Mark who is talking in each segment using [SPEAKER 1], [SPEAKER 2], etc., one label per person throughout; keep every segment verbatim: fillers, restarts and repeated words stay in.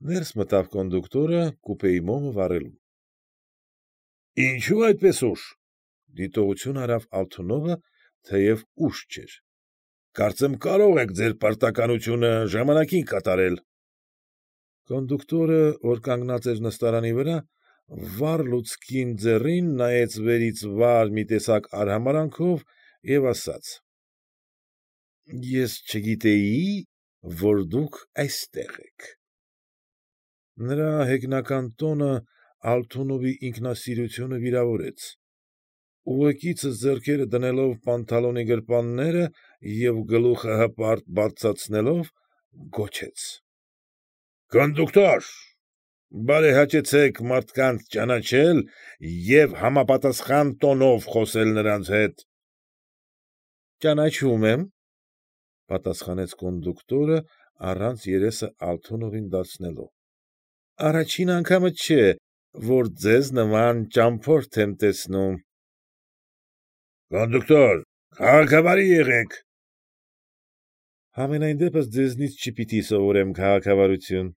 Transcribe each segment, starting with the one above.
[SPEAKER 1] Ներս մտավ կոնդուկտորը կուպեի մոմը վառելու։ ֊ Ինչո՞ւ այդպես ուշ,֊ դիտողություն արավ Ալթունովը, թեև ուշ չէր,֊ կարծեմ կարող եք ձեր պարտականությունը ժամանակին կատարել։ Կոնդուկտորը, որ կանգնած էր նստարանի վրա, վառ լուցկին ձեռին նայեց վերից վար մի տեսակ արհամարհանքով և ասաց. ֊ Ես չգիտեի, որ դուք այստեղ եք… Նրա հեգնական տոնը Ալթունովի ինքնասիրությունը վիրավորեց, ուղեկիցս ձեռքերը դնելով պանթալոնի գրպանները և գլուխը հպարտ բարձրացնելով, գոչեց. ֊ Կոնդուկտո՛ր, բարեհաճեցեք մարդկանց ճանաչել և համապատասխան տոնով խոսել նրանց հետ։ ֊ Ճանաչում եմ,֊ պատասխանեց կոնդուկտորը, առանց երեսը Ալթունովին դարձնելով,֊ առաջին անգամը չէ, որ ձեզ նման ճամփորդ եմ տեսնում։ ֊ Կոնդուկտոր, քաղաքավարի եղեք։ ֊ Համենայն դեպս ձեզնից չպիտի սովորեմ քաղաքավարություն…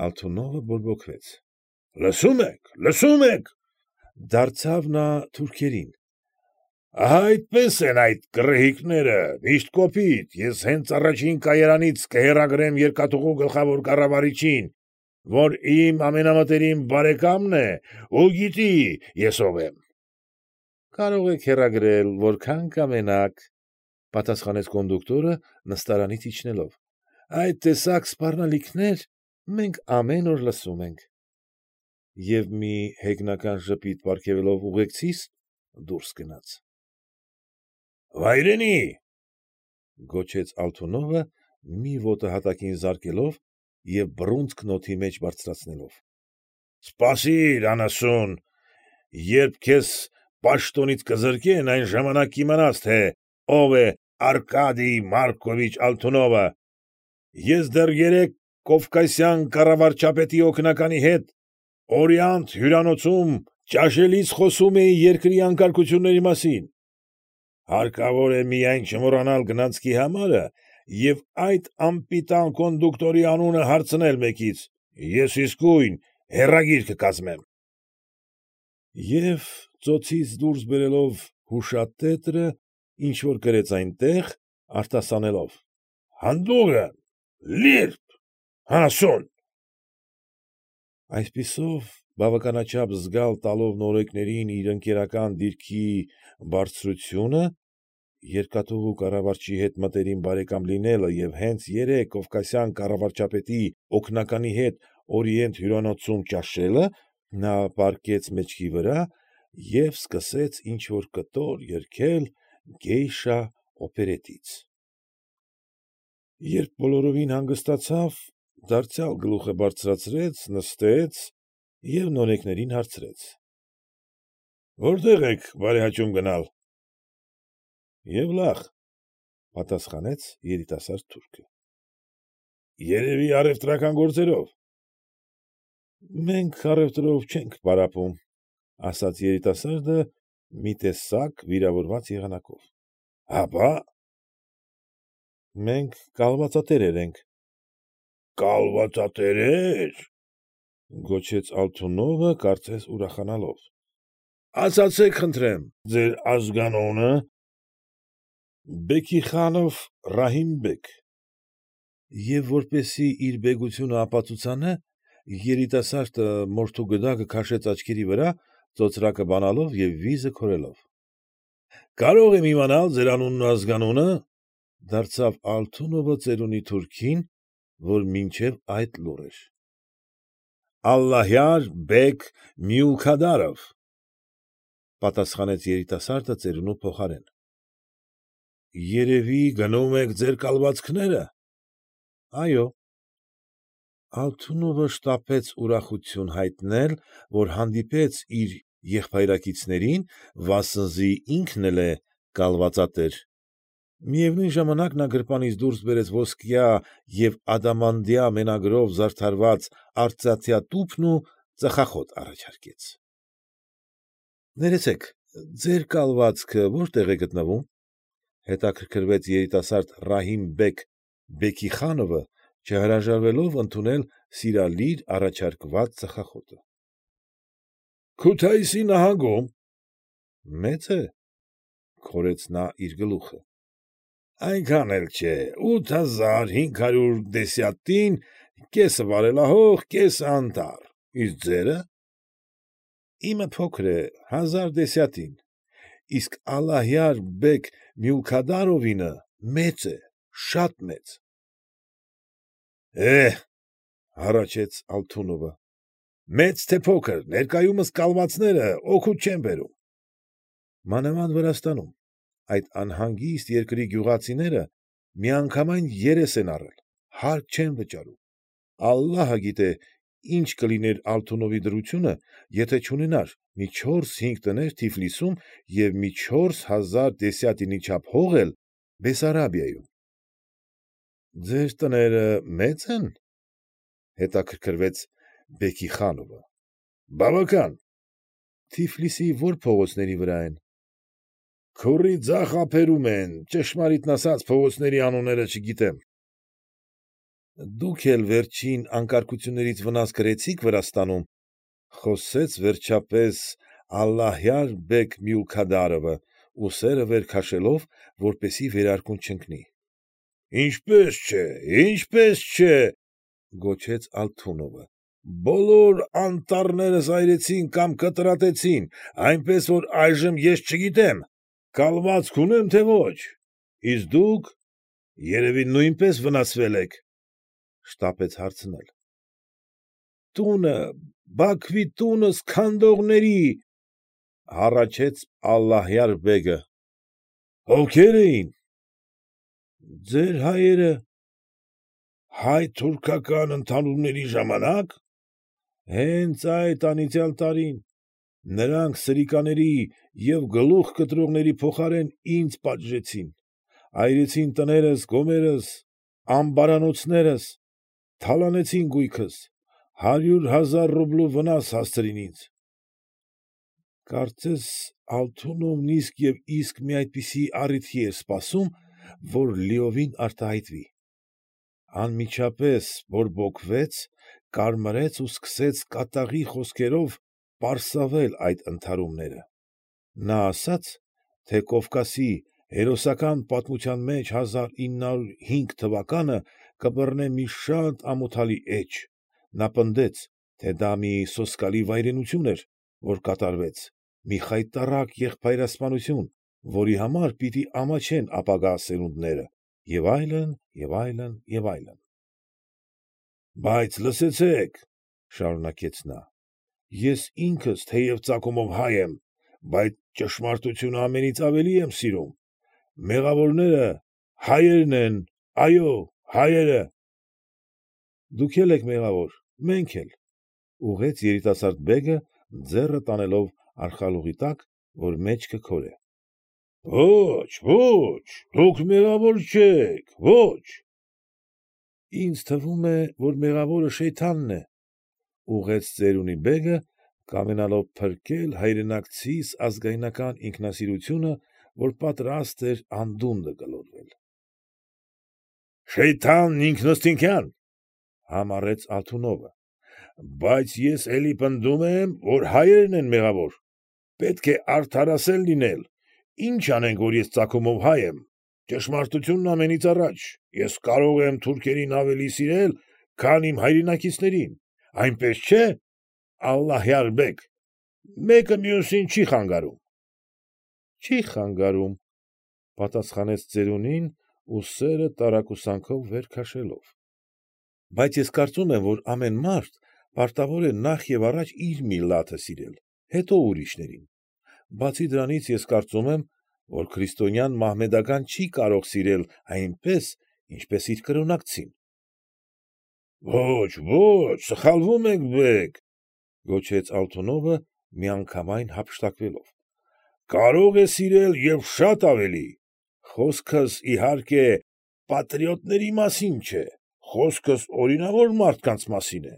[SPEAKER 1] Ալթունովը բորբոքվեց։ ֊ Լսում եք, լսում եք,֊ դարձավ նա թուրքերեն,֊ ահա այդպես են այդ գռեհիկները, միշտ կոպիտ, ես հենց առաջին կայարանից կհեռագրեմ երկաթուղու գլխավոր կառավարչին, որ իմ ամենամտերիմ բարեկամն է ու գիտի ես ով եմ։ ֊ Կարող եք հեռագրել որքան կամենաք,֊ պատասխանեց կոնդուկտորը, նստարանից իջնելով,֊ այդ տեսակ սպառնալիքներ մենք ամեն օր լսում ենք… Եվ մի հեգնական ժպիտ պարգևելով ուղեկցիս, դուրս գնաց։ ֊ Վայրենի՛,֊ գոչեց Ալթունովը, մի ոտը հատակին զարկելով և բռունցքն օդի մեջ բարձրացնելով,֊ սպասիր, անասուն, երբ քեզ պաշտոնից կզրկեն, այն ժամանակ կիմանաս, թե ով է Արկադիյ Մարկովիչ Ալթունովը… Ես դեռ երեկ կովկասյան կառավարչապետի օգնականի հետ «Օրիանտ» հյուրանոցում ճաշելիս խոսում էի երկրի անկարգությունների մասին… Հարկավոր է միայն չմոռանալ գնացքի համարը և այդ անպիտան կոնդուկտորի անունը հարցնել մեկից, ես իսկույն հեռագիր կկազմեմ… Եվ ծոցից դուրս բերելով հուշատետրը ինչ֊որ գրեց այնտեղ, արտասանելով. Հանդուգն, լիրբ, անասուն… Այսպիսով, բավականաչափ զգալ տալով նորեկներին իր ընկերական դիրքի բարձրությունը, երկաթուղու կառավարչի հետ մտերիմ բարեկամ լինելը և հենց երեկ կովկասյան կառավարչապետի օգնականի հետ «Օրիանտ» հյուրանոցում ճաշելը, նա պառկեց մեջքի վրա և սկսեց ինչ֊որ կտոր երգել «Գեյշա» օպերետից… Երբ բոլորովին հանգստացավ, դարձյալ գլուխը բարձրացրեց, նստեց և նորեկներին հարցրեց. ֊ Որտե՞ղ եք բարեհաճում գնալ։ ֊ Եվլախ,֊ պատասխանեց երիտասարդ թուրքը։ ֊ Երևի առևտրական գործերով։ ֊ Մենք առևտրով չենք պարապում,֊ ասաց երիտասարդը մի տեսակ վիրավորված եղանակով։ ֊ Հապա՞։ ֊ Մենք կալվածատերեր ենք։ ֊ Կալվածատերե՞ր,֊ գոչեց Ալթունովը, կարծես ուրախանալով,֊ ասացեք խնդրեմ, ձեր ազգանո՞ւնը։ ֊ Բեքիխանով Ռահիմ֊բեգ… Եվ որպեսզի իր բեգությունը ապացուցանե, երիտասարդը մորթու գդակը քաշեց աչքերի վրա, ծոծրակը բանալով և վիզը քորելով։ ֊ Կարո՞ղ եմ իմանալ ձեր անունն ու ազգանունը,֊ դարձավ Ալթունովը ծերունի թուրքին, որ մինչև այդ լուռ էր։ ֊ Ալլահյար֊բեգ Մյուլքադարով,֊ պատասխանեց երիտասարդը ծերունու փոխարեն։ ֊ Երևի գնում եք ձեր կալվածքները։ ֊ Այո։ Ալթունովը շտապեց ուրախություն հայտնել, որ հանդիպեց իր եղբայրակիցներին, վասնզի ինքն էլ է կալվածատեր… Միևնույն ժամանակ նա գրպանից դուրս բերեց ոսկյա և ադամանդյա մենագրերով զարդարված արծաթյա տուփն ու ծխախոտ առաջարկեց։ ֊ Ներեցեք, ձեր կալվածքը որտե՞ղ է գտնվում,֊ հետաքրքրվեց երիտասարդ Ռահիմ֊բեգ Բեքիխանովը, չհրաժարվելով ընդունել սիրալիր առաջարկված ծխախոտը։ ֊ Քութայիսի նահանգում։ ֊ Մե՞ծ է,֊ քորեց նա իր գլուխը։ ֊ Այնքան էլ չէ, ութ հազար հինգ հարյուր դեսյատին, կեսը վարելահող, կեսը անտառ, իսկ ձե՞րը։ ֊ Իմը փոքր է, հազար դեսյատին, իսկ Ալլահյար֊բեգ Մյուլքադարովինը մեծ է, շատ մեծ։ ֊ Է՛հ,֊ հառաչեց Ալթունովը,֊ մեծ թե փոքր, ներկայումս կալվածները օգուտ չեն բերում։ ֊ Մանավանդ Վրաստանում, այդ անհանգիստ երկրի գյուղացիները միանգամայն երես են առել, հարկ չեն վճարում։ Ալլահը գիտե ինչ կլիներ Ալթունովի դրությունը, եթե չունենար մի չորս֊հինգ տներ Թիֆլիսում և մի չորս հազար դեսյատինի չափ հող էլ Բեսարաբիայում։ ֊ Ձեր տները մե՞ծ են,֊ հետաքրքրվեց Բեքիխանովը։ ֊ Բավական։ ֊ Թիֆլիսի ո՞ր փողոցների վրա են։ ֊ Քուռի ձախ ափերում են, ճշմարիտն ասած փողոցների անունները չգիտեմ։ ֊ Դուք էլ վերջին անկարգություններից վնաս կրեցի՞ք Վրաստանում,֊ խոսեց վերջապես Ալլահյար֊բեգ Մյուլքադարովը, ուսերը վեր քաշելով, որպեսզի վերարկուն չընկնի։ ֊ Ինչպե՛ս չէ, ինչպե՛ս չէ,֊ գոչեց Ալթունովը,֊ բոլոր անտառներս այրեցին կամ կտրատեցին, այնպես որ այժմ ես չգիտեմ կալվածք ունեմ, թե ոչ, իսկ դուք, երևի, նույնպես վնասվել եք,֊ շտապեց հարցնել։ ֊ Տունը, Բաքվի տունը սքանդողների,֊ հառաչեց Ալլահյար֊բեգը։ ֊ Ովքե՞ր էին։ ֊ Ձեր հայերը։ ֊ Հայ֊թուրքական ընդհարումների ժամանակ։ ֊ Հենց այդ անիծյալ տարին, նրանք սրիկաների և գլուխ կտրողների փոխարեն ինձ պատժեցին, այրեցին տներս, գոմերս, ամբարանոցներս, թալանեցին գույքս, հարյուր հազար ռուբլու վնաս հասցրին ինձ։ Կարծես Ալթունովն իսկ և իսկ մի այդպիսի առիթի էր սպասում, որ լիովին արտահայտվի։ Անմիջապես բորբոքվեց, կարմրեց ու սկսեց կատաղի խոսքերով պարսավել այդ ընդհարումները։ Նա ասաց, թե Կովկասի հերոսական պատմության մեջ հազար ինը հարյուր հինգ թվականը կբռնե մի շատ ամոթալի էջ, նա պնդեց, թե դա մի սոսկալի վայրենություն էր, որ կատարվեց, մի խայտառակ եղբայրասպանություն, որի համար պիտի ամաչեն ապագա սերունդները և այլն, և այլն, և այլն։ ֊ Բայց լսեցե՛ք,֊ շարունակեց նա,֊ ես ինքս թեև ծագումով հայ եմ, բայց ճշմարտությունը ամենից ավելի եմ սիրում, մեղավորները հայերն են, այո, հայերը։ ֊ Դուք էլ եք մեղավոր, մենք էլ,֊ ուղղեց երիտասարդ բեգը, ձեռը տանելով արխալուղի տակ, որ մեջքը քորե։ ֊ Ո՛չ, ո՛չ, դուք մեղավոր չեք, ո՛չ։ ֊ Ինձ թվում է, որ մեղավորը Շեյթանն է,֊ ուղղեց ծերունի բեգը, կամենալով փրկել հայրենակցիս ազգայնական ինքնասիրությունը, որ պատրաստ էր անդունդը գլորվել։ ֊ Շեյթանն ինքըստինքյան,֊ համառեց Ալթունովը,֊ բայց ես էլի պնդում եմ, որ հայերն են մեղավոր, պետք է արդարասեր լինել, ինչ անենք, որ ես ծագումով հայ եմ, ճշմարտությունն ամենից առաջ, ես կարող եմ թուրքերին ավելի սիրել, քան իմ հայրենակիցներին, այնպես չէ՞, Ալլահյար֊բեգ, մեկը մյուսին չի խանգարում։ ֊ Չի խանգարում,֊ պատասխանեց ծերունին, ուսերը տարակուսանքով վեր քաշելով,֊ բայց ես կարծում եմ, որ ամեն մարդ պարտավոր է նախ և առաջ իր միլլաթը սիրել, հետո ուրիշներին։ Բացի դրանից ես կարծում եմ, որ քրիստոնյան մահմեդականին չի կարող սիրել այնպես, ինչպես իր կրոնակցին։ ֊ Ո՛չ, ո՛չ, սխալվում եք, բեգ,֊ գոչեց Ալթունովը, միանգամայն հափշտակվելով,֊ կարող է սիրել և շատ ավելի, խոսքս, իհարկե, պատրիոտների մասին չէ, խոսքս օրինավոր մարդկանց մասին է։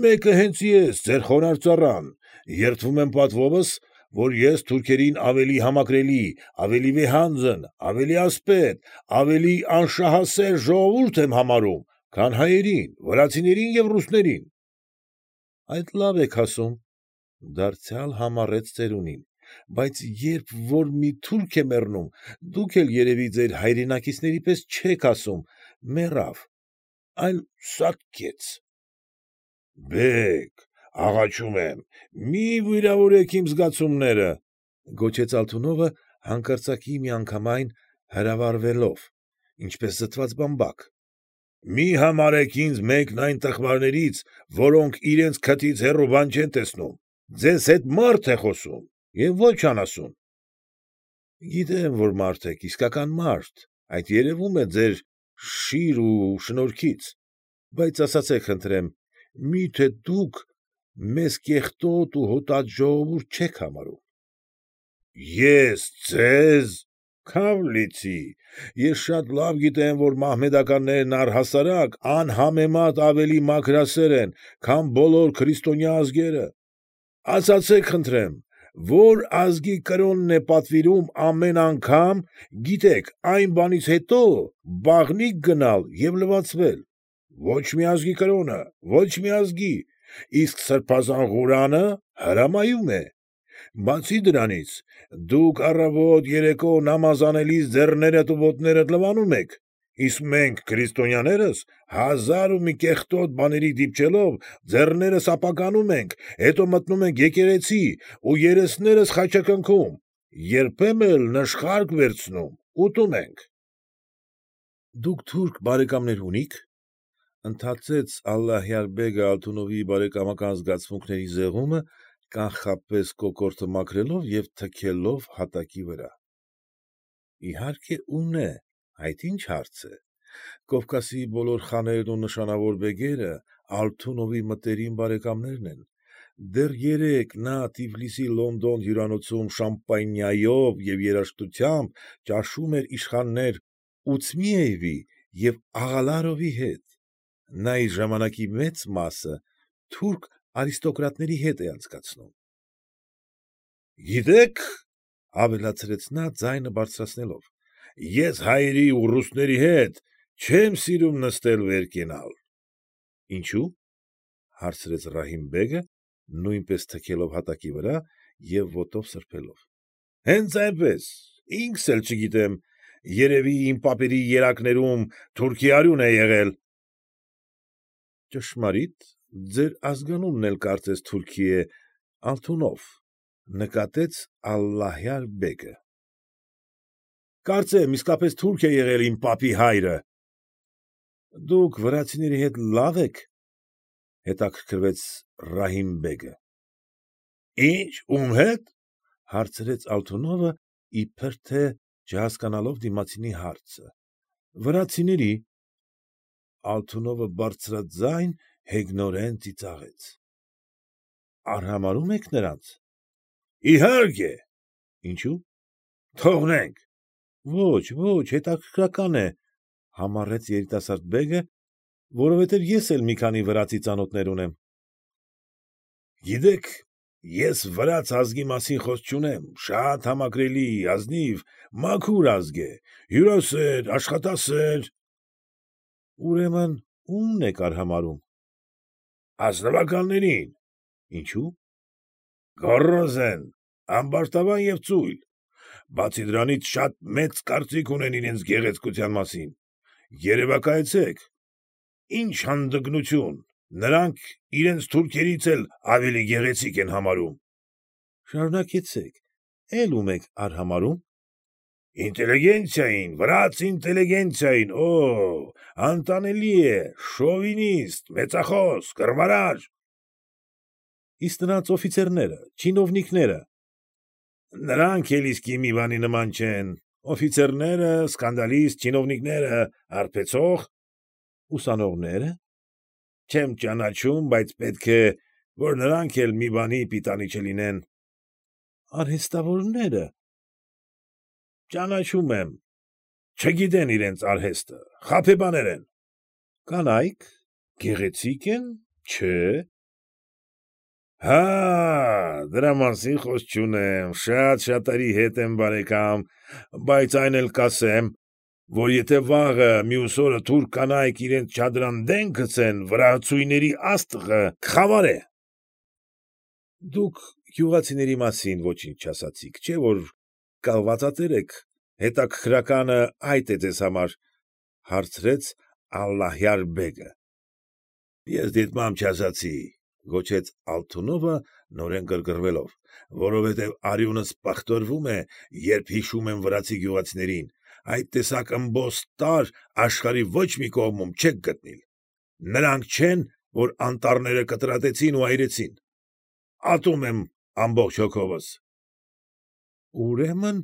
[SPEAKER 1] Մեկը հենց ես, ձեր խոնարհ ծառան, երդվում եմ պատվովս, որ ես թուրքերին ավելի համակրելի, ավելի վեհանձն, ավելի ասպետ, ավելի անշահասեր ժողովուրդ եմ համարում, քան հայերին, վրացիներին և ռուսներին։ ֊ Այդ լավ եք ասում,֊ դարձյալ համառեց ծերունին,֊ բայց երբ որ մի թուրք է մեռնում, դուք էլ երևի ձեր հայրենակիցների պես չեք ասում մեռավ, այլ սատկեց։ ֊ Բեգ, աղաչում եմ, մի վիրավորեք իմ զգացումները,֊ գոչեց Ալթունովը հանկարծակի միանգամայն հրավառվելով, ինչպես զտված բամբակ,֊ մի համարեք ինձ մեկն այն տխմարներից, որոնք իրենց քթից հեռու բան չեն տեսնում, ձեզ հետ մարդ է խոսում և ոչ անասուն։ ֊ Գիտեմ, որ մարդ եք, իսկական մարդ, այդ երևում է ձեր շիր ու շնորհքից, բայց ասացեք խնդրեմ, մի՞թե դուք մեզ կեղտոտ ու հոտած ժողովուրդ չեք համարում։ ֊ Ես ձե՞զ, քավ լիցի, ես շատ լավ գիտեմ, որ մահմեդականներն առհասարակ անհամեմատ ավելի մաքրասեր են, քան բոլոր քրիստոնյա ազգերը։ Ասացեք խնդրեմ, ո՞ր ազգի կրոնն է պատվիրում ամեն անգամ, գիտեք, այն բանից հետո բաղնիք գնալ և լվացվել։ Ոչ մի ազգի կրոնը, ոչ մի ազգի, իսկ սրբազան Ղուրանը հրամայում է։ Բացի դրանից, դուք առավոտ երեկո նամազ անելիս ձեռներդ ու ոտներդ լվանում եք, իսկ մենք քրիստոնյաներս հազար ու մի կեղտոտ բաների դիպչելով ձեռներս ապականում ենք, հետո մտնում ենք եկեղեցի ու երեսներս խաչակնքում, երբեմն էլ նշխարք վերցնում, ուտում ենք։ ֊ Դուք թուրք բարեկամներ ունի՞ք,֊ ընդհատեց Ալլահյար֊բեգը Ալթունովի բարեկամական զգացմունքների զեղումը, կանխապես կոկորդը մաքրելով և թքելով հատակի վրա։ ֊ Իհարկե ունե, այդ ի՞նչ հարց է, Կովկասի բոլոր խաներն ու նշանավոր բեգերը Ալթունովի մտերիմ բարեկամներն են, դեռ երեկ նա Թիֆլիսի «Լոնդոն» հյուրանոցում շամպանիայով և երաժշտությամբ ճաշում էր իշխաններ Ուցմիևի և Աղալարովի հետ, նա իր ժամանակի մեծ մասը թուրք արիստոկրատների հետ է անցկացնում։ ֊ Գիտեք,֊ ավելացրեց նա ձայնը բարձրացնելով,֊ ես հայերի ու ռուսների հետ չեմ սիրում նստել վեր կենալ։ ֊ Ինչո՞ւ,֊ հարցրեց Ռահիմ֊բեգը, նույնպես թքելով հատակի վրա և ոտով սրբելով։ ֊ Հենց այնպես, ինքս էլ չգիտեմ, երևի իմ պապերի երակներում թուրքի արյուն է եղել։ ֊ Ճշմարիտ, ձեր ազգանունն էլ կարծես թուրքի է, Ալթունով,֊ նկատեց Ալլահյար֊բեգը։ ֊ Կարծեմ իսկապես թուրք է եղել իմ պապի հայրը։ ֊ Դուք վրացիների հետ լա՞վ եք,֊ հետաքրքրվեց Ռահիմ֊բեգը։ ֊ Ի՞նչ, ում հետ,֊ հարցրեց Ալթունովը, իբր թե չհասկանալով դիմացինի հարցը։ ֊ Վրացիների։ Ալթունովը բարձրաձայն հեգնորեն ծիծաղեց։ ֊ Արհամարհո՞ւմ եք նրանց։ ֊ Իհարկե։ ֊ Ինչո՞ւ։ ֊ Թողնենք։ ֊ Ոչ, ոչ, հետաքրքրական է,֊ համառեց երիտասարդ բեգը,֊ որովհետև ես էլ մի քանի վրացի ծանոթներ ունեմ։ ֊ Գիտեք, ես վրաց ազգի մասին խոսք չունեմ, շատ համակրելի, ազնիվ, մաքուր ազգ է, հյուրասեր, աշխատասեր։ ֊ Ուրեմն ո՞ւմն եք արհամարհում։ ֊ Ազնվականներին։ ֊ Ինչո՞ւ։ ֊ Գոռոզ են, ամբարտավան և ծույլ, բացի դրանից շատ մեծ կարծիք ունեն իրենց գեղեցկության մասին, երևակայեցեք, ի՜նչ հանդգնություն, նրանք իրենց թուրքերից էլ ավելի գեղեցիկ են համարում։ ֊ Շարունակեցեք, էլ ո՞ւմ եք արհամարհում։ ֊ Ինտելիգենցիային, վրաց ինտելիգենցիային, օօ, անտանելի է, շովինիստ, մեծախոս, կռվարար։ ֊ Իսկ նրանց օֆիցերնե՞րը, չինովնիկնե՞րը։ ֊ Նրանք էլ իսկի մի բանի նման չեն, օֆիցերները, սկանդալիստ, չինովնիկները արբեցող։ ֊ Ուսանողնե՞րը։ ֊ Չեմ ճանաչում, բայց պետք է, որ նրանք էլ մի բանի պիտանի չլինեն։ ֊ Արհեստավորնե՞րը։ ֊ Ճանաչում եմ, չգիտեն իրենց արհեստը, խաբեբաներ են։ ֊ Կանա՞յք, գեղեցի՞կ են, չէ՞։ ֊ Հաա՜, դրա մասին խոսք չունեմ, շատ շատերի հետ եմ բարեկամ, բայց այն էլ կասեմ, որ եթե վաղը մյուս օրը թուրք կանայք իրենց չադրան դեն գցեն, վրացուհիների աստղը կխավարե։ ֊ Դուք գյուղացիների մասին ոչինչ չասացիք, չէ՞ որ կալվածատեր եք, հետաքրքրականը այդ է ձեզ համար,֊ հարցրեց Ալլահյար֊բեգը։ ֊ Ես դիտմամբ չասացի,֊ գոչեց Ալթունովը, նորեն գրգռվելով,֊ որովհետև արյունս պղտորվում է, երբ հիշում եմ վրացի գյուղացիներին, այդ տեսակ ըմբոստ տարր աշխարհի ոչ մի կողմում չեք գտնել. նրանք չեն, որ անտառները կտրատեցին ու այրեցին… Ատում եմ ամբողջ հոգովս։ ֊ Ուրեմն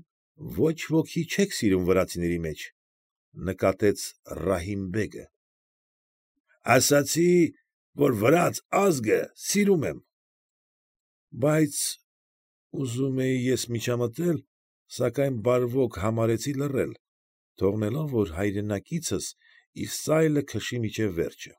[SPEAKER 1] ոչ ոքի չեք սիրում վրացիների մեջ,֊ նկատեց Ռահիմ֊բեգը։ ֊ Ասացի, որ վրաց ազգը սիրում եմ։ ֊ Բայց, ուզում էի ես միջամտել, սակայն բարվոք համարեցի լռել, թողնելով, որ հայրենակիցս իր սայլը քշի մինչև վերջը։